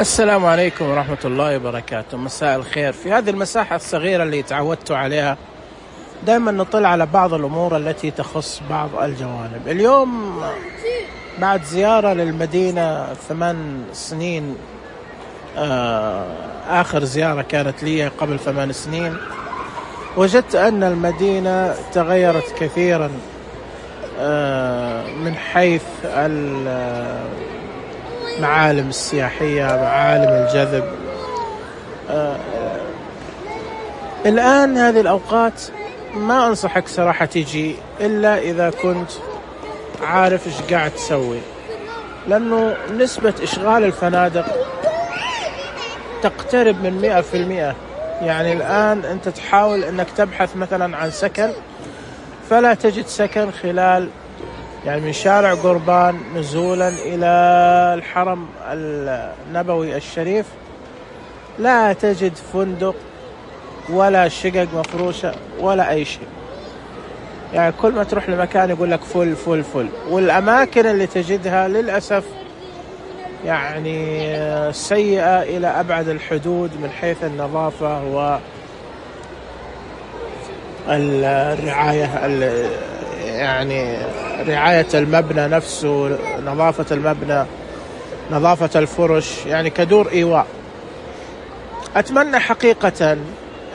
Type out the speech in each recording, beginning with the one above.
السلام عليكم ورحمة الله وبركاته. مساء الخير. في هذه المساحة الصغيرة اللي تعودت عليها دائما نطلع على بعض الأمور التي تخص بعض الجوانب. اليوم بعد زيارة للمدينة 8 سنين، آخر زيارة كانت لي قبل 8 سنين، وجدت أن المدينة تغيرت كثيرا من حيث المعالم السياحية، معالم الجذب. الآن هذه الأوقات ما أنصحك صراحة تيجي إلا إذا كنت عارف إيش قاعد تسوي، لأنه نسبة إشغال الفنادق تقترب من 100%. يعني الآن أنت تحاول أنك تبحث مثلا عن سكن، فلا تجد سكن خلال يعني من شارع قربان نزولا إلى الحرم النبوي الشريف لا تجد فندق ولا شقق مفروشة ولا أي شيء. يعني كل ما تروح لمكان يقول لك فل فل فل، والأماكن اللي تجدها للأسف يعني سيئة إلى أبعد الحدود من حيث النظافة والرعاية، يعني رعاية المبنى نفسه، نظافة المبنى، نظافة الفرش، يعني كدور إيواء. أتمنى حقيقة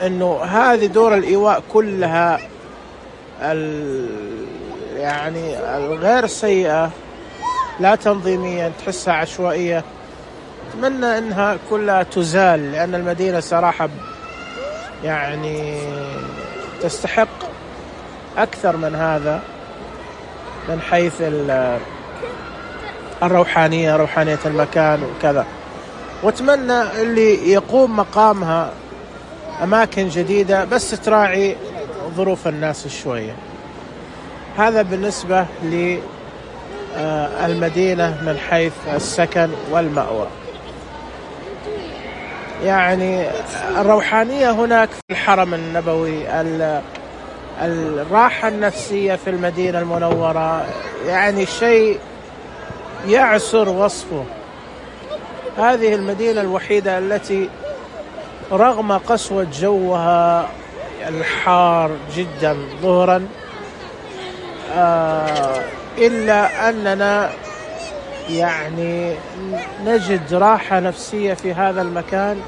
أنه هذه دور الإيواء كلها يعني الغير سيئة، لا تنظيميا تحسها عشوائية، أتمنى أنها كلها تزال، لأن المدينة صراحة يعني تستحق أكثر من هذا من حيث الروحانية، روحانية المكان وكذا. واتمنى اللي يقوم مقامها أماكن جديدة بس تراعي ظروف الناس شوية. هذا بالنسبة للمدينة من حيث السكن والمأوى. يعني الروحانية هناك في الحرم النبوي، الراحة النفسية في المدينة المنورة، يعني شيء يعسر وصفه. هذه المدينة الوحيدة التي رغم قسوة جوها الحار جدا ظهرا إلا أننا يعني نجد راحة نفسية في هذا المكان.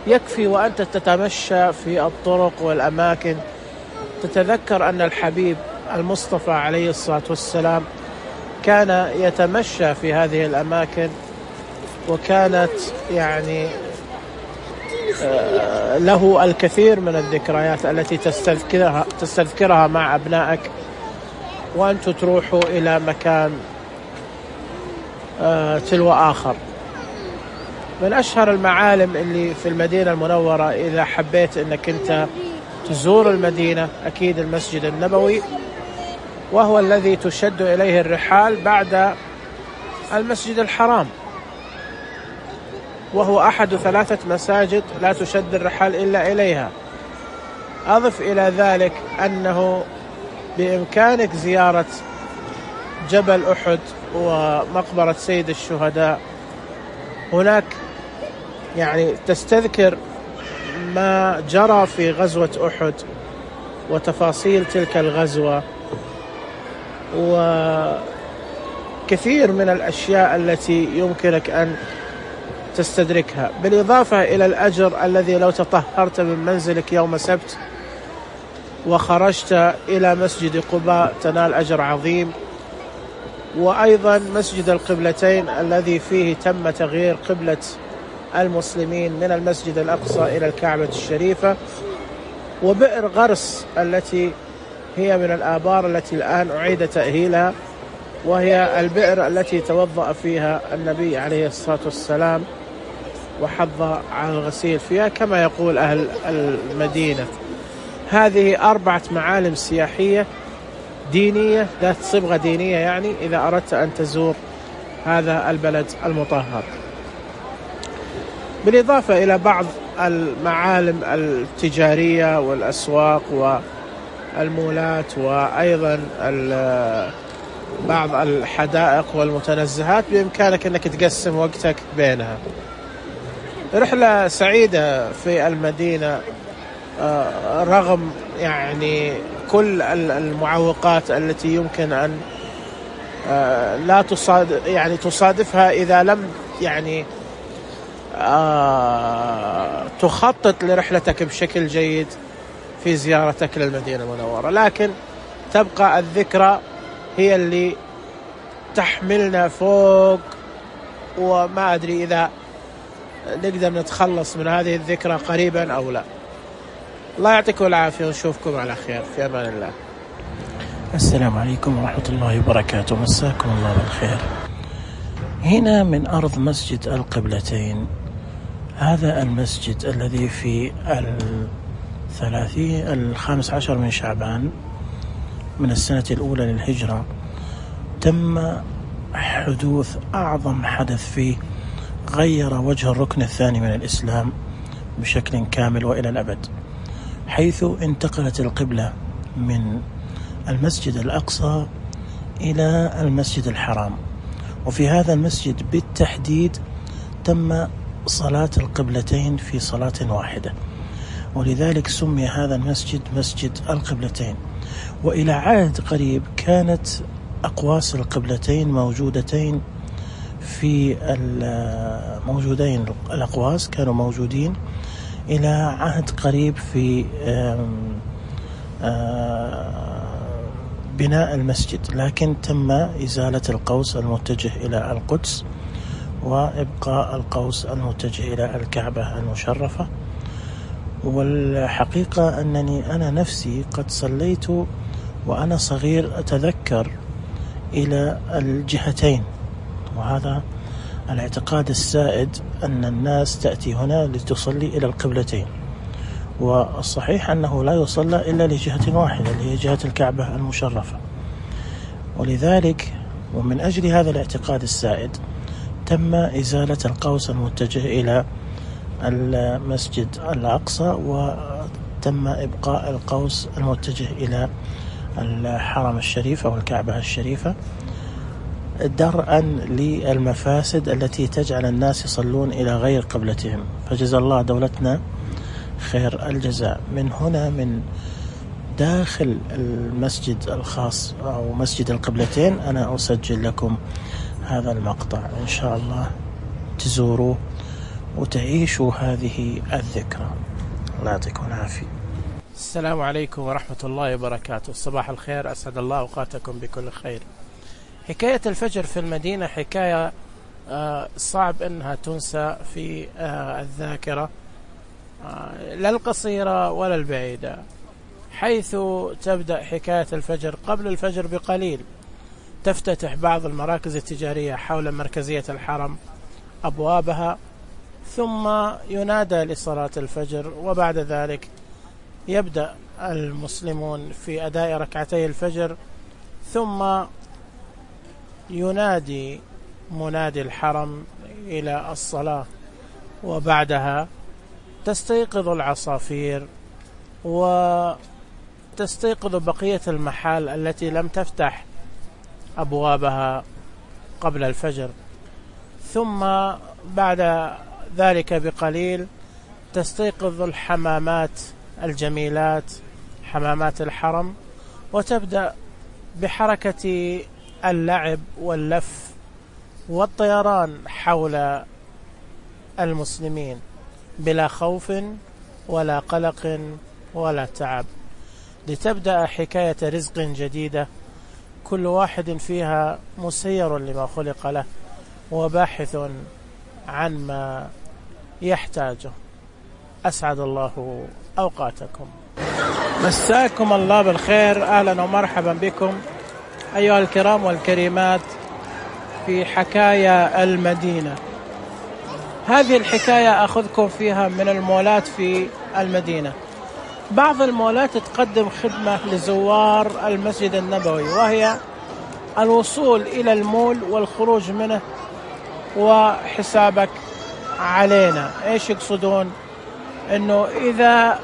يكفي وأنت تتمشى في الطرق والأماكن تتذكر أن الحبيب المصطفى عليه الصلاة والسلام كان يتمشى في هذه الأماكن، وكانت يعني له الكثير من الذكريات التي تستذكرها مع أبنائك وأنتم تروحوا إلى مكان تلو آخر. من أشهر المعالم اللي في المدينة المنورة إذا حبيت أنك أنت تزور المدينة أكيد المسجد النبوي، وهو الذي تشد إليه الرحال بعد المسجد الحرام، وهو أحد 3 مساجد لا تشد الرحال إلا إليها. أضف إلى ذلك أنه بإمكانك زيارة جبل أحد ومقبرة سيد الشهداء. هناك يعني تستذكر ما جرى في غزوة أحد وتفاصيل تلك الغزوة وكثير من الأشياء التي يمكنك أن تستدركها، بالإضافة إلى الأجر الذي لو تطهرت من منزلك يوم سبت وخرجت إلى مسجد قباء تنال أجر عظيم. وأيضا مسجد القبلتين الذي فيه تم تغيير قبلة المسلمين من المسجد الأقصى إلى الكعبة الشريفة، وبئر غرس التي هي من الآبار التي الآن أعيد تأهيلها، وهي البئر التي توضأ فيها النبي عليه الصلاة والسلام وحض على الغسيل فيها كما يقول أهل المدينة. هذه 4 معالم سياحية دينية ذات صبغة دينية، يعني إذا أردت أن تزور هذا البلد المطهر، بالإضافة إلى بعض المعالم التجارية والأسواق والمولات، وأيضا بعض الحدائق والمتنزهات بإمكانك أنك تقسم وقتك بينها. رحلة سعيدة في المدينة رغم يعني كل المعوقات التي يمكن أن لا تصادفها إذا لم يعني تخطط لرحلتك بشكل جيد في زيارتك للمدينة المنورة، لكن تبقى الذكرى هي اللي تحملنا فوق، وما أدري إذا نقدر نتخلص من هذه الذكرى قريبا أو لا. الله يعطيكم العافية ونشوفكم على خير، في أمان الله. السلام عليكم ورحمة الله وبركاته، مساكم الله بالخير. هنا من أرض مسجد القبلتين، هذا المسجد الذي في 15 من شعبان من السنة الأولى للهجرة تم حدوث أعظم حدث فيه غير وجه الركن الثاني من الإسلام بشكل كامل وإلى الأبد، حيث انتقلت القبلة من المسجد الأقصى إلى المسجد الحرام. وفي هذا المسجد بالتحديد تم صلاة القبلتين في صلاة واحدة، ولذلك سمي هذا المسجد مسجد القبلتين. وإلى عهد قريب كانت أقواس القبلتين موجودتين في الأقواس كانوا موجودين إلى عهد قريب في بناء المسجد، لكن تم إزالة القوس المتجه إلى القدس وإبقاء القوس المتجه إلى الكعبة المشرفة. والحقيقة أنني أنا نفسي قد صليت وأنا صغير أتذكر إلى الجهتين، وهذا الاعتقاد السائد أن الناس تأتي هنا لتصلي إلى القبلتين، والصحيح أنه لا يصلى إلا لجهة واحدة اللي هي جهة الكعبة المشرفة. ولذلك ومن أجل هذا الاعتقاد السائد تم إزالة القوس المتجه إلى المسجد الأقصى، وتم إبقاء القوس المتجه إلى الحرم الشريف أو الكعبة الشريفة، درءا للمفاسد التي تجعل الناس يصلون إلى غير قبلتهم. فجزا الله دولتنا خير الجزاء. من هنا من داخل المسجد الخاص أو مسجد القبلتين أنا أسجل لكم هذا المقطع، إن شاء الله تزوروا وتعيشوا هذه الذكرى. الله يعطيكم العافية. السلام عليكم ورحمة الله وبركاته، صباح الخير، أسعد الله أوقاتكم بكل خير. حكاية الفجر في المدينة حكاية صعب أنها تنسى في الذاكرة، لا القصيرة ولا البعيدة، حيث تبدأ حكاية الفجر قبل الفجر بقليل. تفتتح بعض المراكز التجارية حول مركزية الحرم أبوابها، ثم ينادى لصلاة الفجر، وبعد ذلك يبدأ المسلمون في أداء ركعتي الفجر، ثم ينادي منادي الحرم إلى الصلاة، وبعدها تستيقظ العصافير وتستيقظ بقية المحال التي لم تفتح أبوابها قبل الفجر، ثم بعد ذلك بقليل تستيقظ الحمامات الجميلات حمامات الحرم، وتبدأ بحركة اللعب واللف والطيران حول المسلمين بلا خوف ولا قلق ولا تعب، لتبدأ حكاية رزق جديدة كل واحد فيها مسير لما خلق له وباحث عن ما يحتاجه. أسعد الله أوقاتكم. مساكم الله بالخير، أهلا ومرحبا بكم أيها الكرام والكريمات في حكاية المدينة. هذه الحكاية أخذكم فيها من المولات في المدينة. بعض المولات تقدم خدمة لزوار المسجد النبوي، وهي الوصول إلى المول والخروج منه وحسابك علينا. إيش يقصدون؟ إنه إذا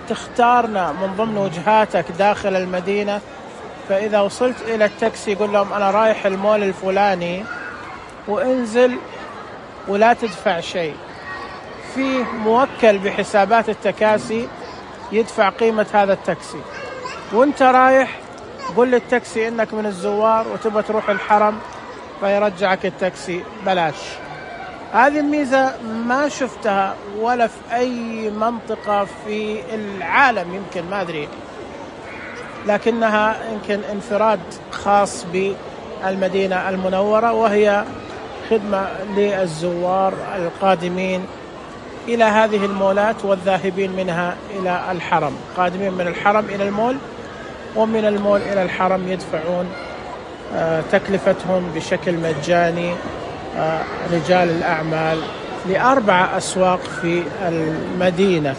تختارنا من ضمن وجهاتك داخل المدينة، فإذا وصلت إلى التاكسي يقول لهم أنا رايح المول الفلاني وانزل ولا تدفع شيء. فيه موكل بحسابات التكاسي يدفع قيمة هذا التاكسي، وانت رايح قل للتاكسي انك من الزوار وتبغى تروح الحرم فيرجعك التاكسي بلاش. هذه الميزة ما شفتها ولا في أي منطقة في العالم، يمكن ما أدري، لكنها يمكن انفراد خاص بالمدينة المنورة، وهي خدمة للزوار القادمين إلى هذه المولات والذاهبين منها إلى الحرم، قادمين من الحرم إلى المول ومن المول إلى الحرم يدفعون تكلفتهم بشكل مجاني. رجال الأعمال ل4 أسواق في المدينة.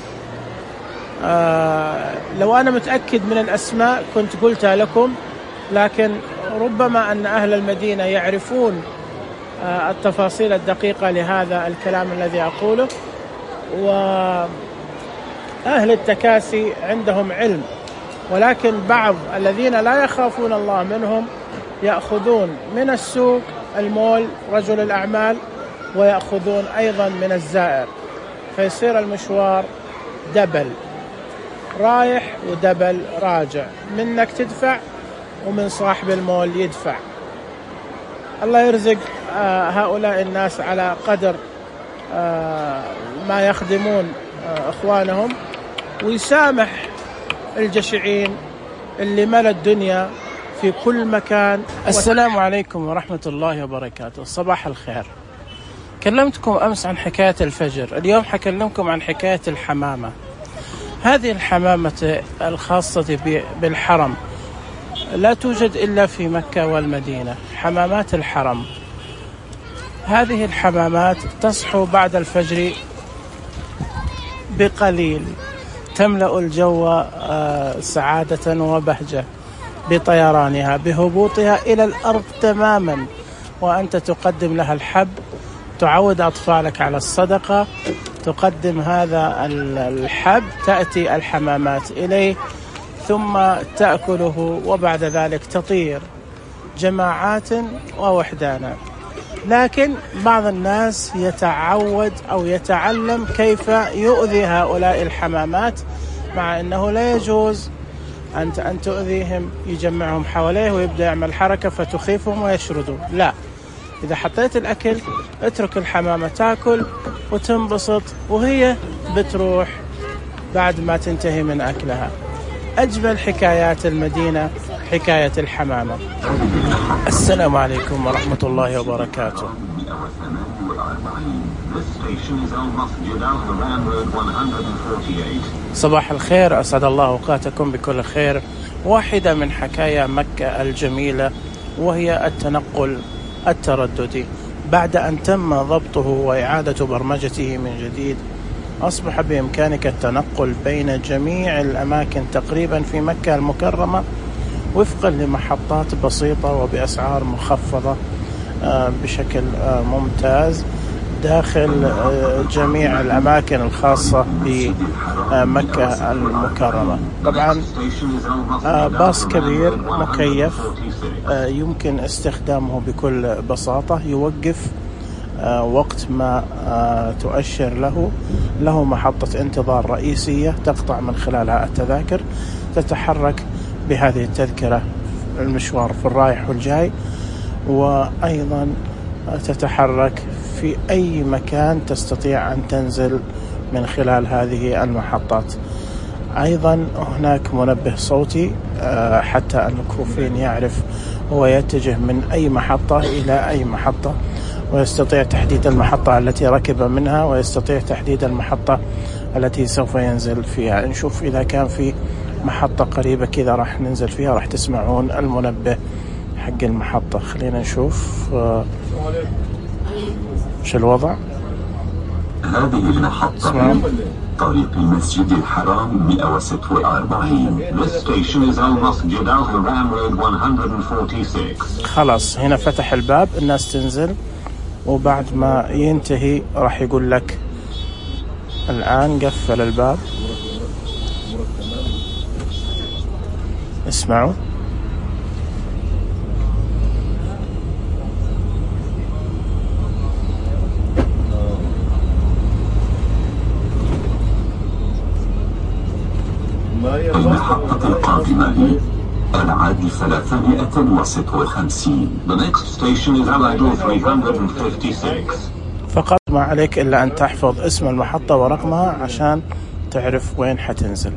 لو أنا متأكد من الأسماء كنت قلتها لكم، لكن ربما أن أهل المدينة يعرفون التفاصيل الدقيقة لهذا الكلام الذي أقوله، وأهل التكاسي عندهم علم، ولكن بعض الذين لا يخافون الله منهم يأخذون من السوق المول رجل الأعمال، ويأخذون أيضا من الزائر، فيصير المشوار دبل رايح ودبل راجع، منك تدفع ومن صاحب المول يدفع. الله يرزق هؤلاء الناس على قدر ما يخدمون إخوانهم، ويسامح الجشعين اللي ملى الدنيا في كل مكان. السلام عليكم ورحمة الله وبركاته. صباح الخير. كلمتكم أمس عن حكاية الفجر، اليوم حكلمكم عن حكاية الحمامة. هذه الحمامة الخاصة بالحرم لا توجد إلا في مكة والمدينة، حمامات الحرم. هذه الحمامات تصحو بعد الفجر بقليل، تملأ الجو سعادة وبهجة بطيرانها، بهبوطها إلى الأرض تماما، وأنت تقدم لها الحب، تعود أطفالك على الصدقة، تقدم هذا الحب، تأتي الحمامات إليه ثم تأكله، وبعد ذلك تطير جماعات ووحدانا. لكن بعض الناس يتعود أو يتعلم كيف يؤذي هؤلاء الحمامات، مع أنه لا يجوز أن تؤذيهم، يجمعهم حواليه ويبدأ يعمل حركة فتخيفهم ويشردوا. لا، إذا حطيت الأكل اترك الحمامة تأكل وتنبسط، وهي بتروح بعد ما تنتهي من أكلها. أجمل حكايات المدينة حكاية الحمامة. السلام عليكم ورحمة الله وبركاته. صباح الخير، أسعد الله أوقاتكم بكل خير. واحدة من حكايا مكة الجميلة وهي التنقل الترددي. بعد أن تم ضبطه وإعادة برمجته من جديد، أصبح بإمكانك التنقل بين جميع الأماكن تقريبا في مكة المكرمة وفقا لمحطات بسيطة وبأسعار مخفضة بشكل ممتاز داخل جميع الأماكن الخاصة بمكة المكرمة. طبعا باص كبير مكيف يمكن استخدامه بكل بساطة، يوقف وقت ما تؤشر له محطة انتظار رئيسية تقطع من خلالها التذاكر، تتحرك بهذه التذكرة المشوار في الرايح والجاي، وأيضا تتحرك في أي مكان تستطيع أن تنزل من خلال هذه المحطات. أيضا هناك منبه صوتي حتى المكفوفين يعرف هو يتجه من أي محطة إلى أي محطة، ويستطيع تحديد المحطة التي ركب منها، ويستطيع تحديد المحطة التي سوف ينزل فيها. نشوف إذا كان في محطة قريبة كذا راح ننزل فيها، راح تسمعون المنبه حق المحطة. خلينا نشوف شو الوضع. هذه المحطة طريق المسجد الحرام 146. This station is Al-Masjid Al-Haram Road 146. خلاص هنا فتح الباب، الناس تنزل، وبعد ما ينتهي راح يقول لك الآن قفل الباب. اسمعوا. المعاد 356. The next station is Alagil 356. فقط ما عليك إلا أن تحفظ اسم المحطة ورقمها عشان تعرف وين حتنزل.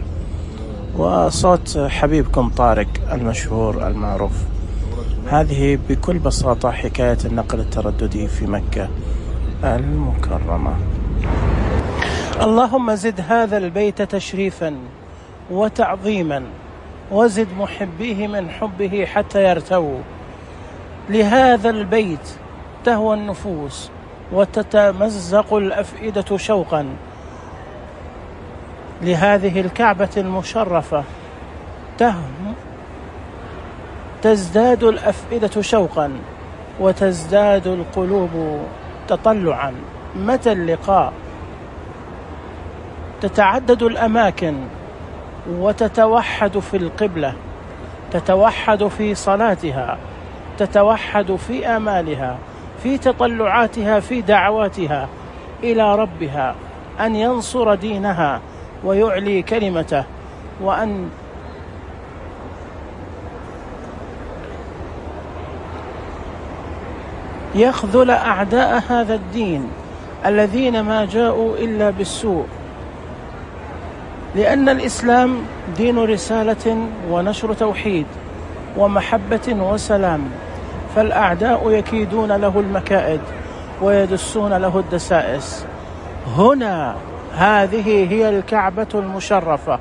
وصوت حبيبكم طارق المشهور المعروف. هذه بكل بساطة حكاية النقل الترددي في مكة المكرمة. اللهم زد هذا البيت تشريفا وتعظيما، وزد محبيه من حبه حتى يرتووا. لهذا البيت تهوى النفوس وتتمزق الأفئدة شوقا، لهذه الكعبة المشرفة تزداد الأفئدة شوقا وتزداد القلوب تطلعا. متى اللقاء؟ تتعدد الأماكن وتتوحد في القبلة، تتوحد في صلاتها، تتوحد في آمالها، في تطلعاتها، في دعواتها إلى ربها أن ينصر دينها ويعلي كلمته، وأن يخذل أعداء هذا الدين الذين ما جاءوا إلا بالسوء، لأن الإسلام دين رسالة ونشر توحيد ومحبة وسلام، فالأعداء يكيدون له المكائد ويدسون له الدسائس. هنا هذه هي الكعبة المشرفة،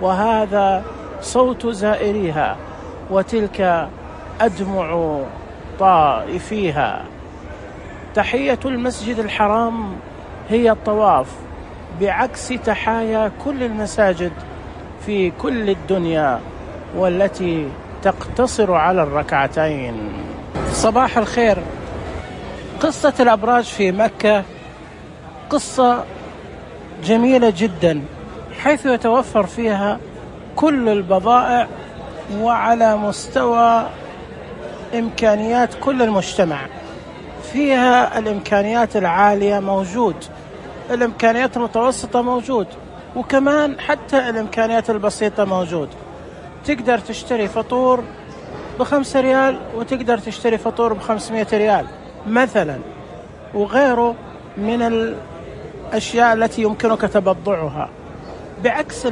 وهذا صوت زائريها، وتلك أدمع طائفيها. تحية المسجد الحرام هي الطواف، بعكس تحايا كل المساجد في كل الدنيا والتي تقتصر على الركعتين. صباح الخير. قصة الأبراج في مكة قصة جميلة جدا، حيث يتوفر فيها كل البضائع وعلى مستوى إمكانيات كل المجتمع. فيها الإمكانيات العالية موجود، الإمكانيات المتوسطة موجود، وكمان حتى الإمكانيات البسيطة موجود. تقدر تشتري فطور ب5 ريال وتقدر تشتري فطور ب500 ريال مثلا، وغيره من الأشياء التي يمكنك تبضعها. بعكس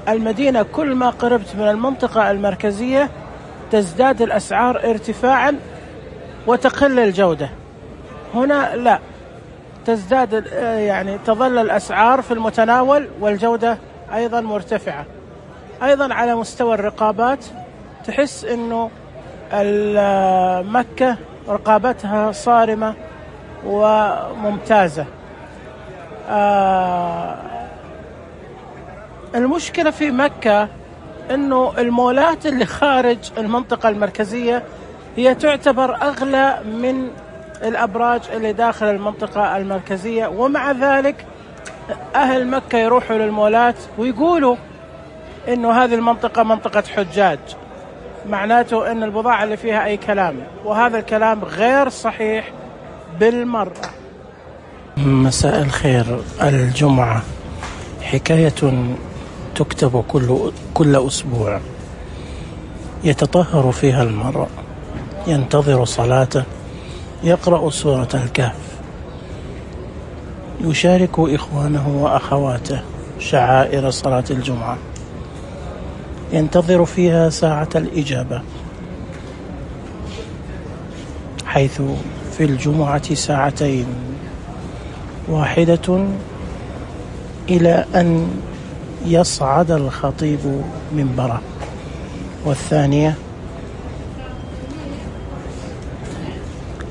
المدينة كل ما قربت من المنطقة المركزية تزداد الأسعار ارتفاعا وتقل الجودة. هنا لا، تزداد، يعني تظل الأسعار في المتناول والجودة أيضا مرتفعة. أيضا على مستوى الرقابات تحس أنه مكة رقابتها صارمة وممتازة. المشكلة في مكة أنه المولات اللي خارج المنطقة المركزية هي تعتبر أغلى من الأبراج اللي داخل المنطقة المركزية، ومع ذلك أهل مكة يروحوا للمولات ويقولوا إنه هذه المنطقة منطقة حجاج، معناته إن البضاعة اللي فيها أي كلام، وهذا الكلام غير صحيح بالمرة. مساء الخير. الجمعة حكاية تكتب كل أسبوع، يتطهر فيها المرء، ينتظر صلاته، يقرأ سورة الكهف، يشارك إخوانه وأخواته شعائر صلاة الجمعة، ينتظر فيها ساعة الإجابة، حيث في الجمعة ساعتين، واحدة إلى أن يصعد الخطيب منبره، والثانية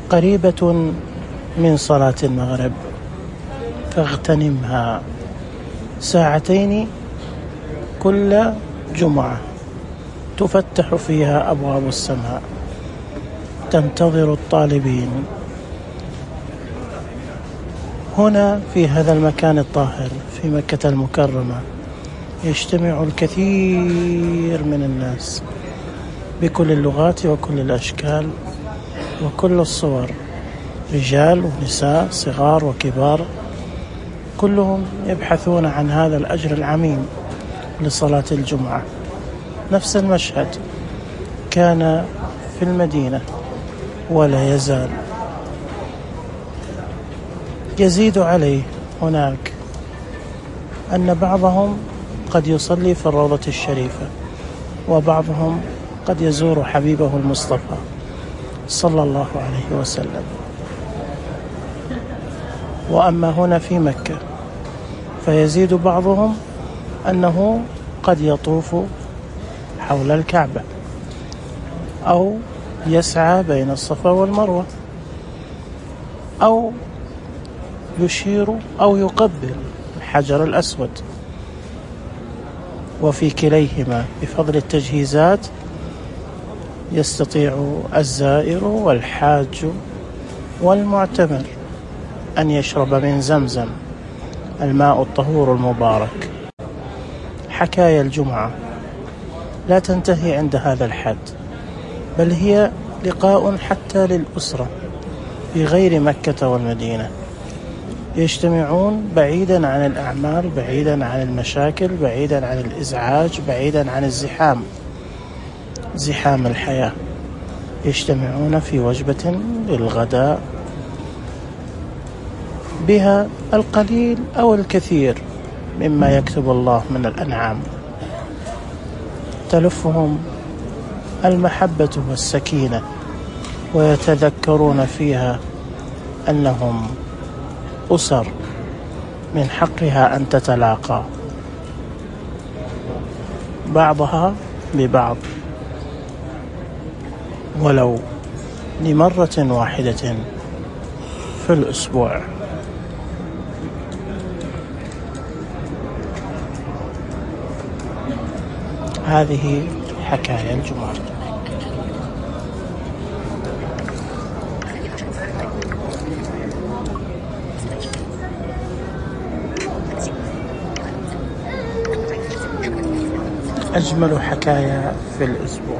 قريبة من صلاة المغرب، فاغتنمها. ساعتين كل جمعة تفتح فيها أبواب السماء، تنتظر الطالبين. هنا في هذا المكان الطاهر في مكة المكرمة يجتمع الكثير من الناس بكل اللغات وكل الأشكال وكل الصور، رجال ونساء، صغار وكبار، كلهم يبحثون عن هذا الأجر العميم لصلاة الجمعة. نفس المشهد، كان في المدينة ولا يزال. يزيد عليه هناك أن بعضهم قد يصلي في الروضة الشريفة، وبعضهم قد يزور حبيبه المصطفى صلى الله عليه وسلم. وأما هنا في مكة فيزيد بعضهم أنه قد يطوف حول الكعبة أو يسعى بين الصفا والمروة أو يشير أو يقبل الحجر الأسود. وفي كليهما بفضل التجهيزات يستطيع الزائر والحاج والمعتمر أن يشرب من زمزم الماء الطهور المبارك. حكايا الجمعة لا تنتهي عند هذا الحد، بل هي لقاء حتى للأسرة في غير مكة والمدينة، يجتمعون بعيدا عن الأعمال، بعيدا عن المشاكل، بعيدا عن الإزعاج، بعيدا عن زحام الحياة. يجتمعون في وجبة للغداء بها القليل أو الكثير مما يكتب الله من الأنعام. تلفهم المحبة والسكينة، ويتذكرون فيها أنهم أسر من حقها أن تتلاقى بعضها ببعض ولو لمرة واحدة في الأسبوع. هذه حكايا الجمعة. أجمل حكايا في الأسبوع.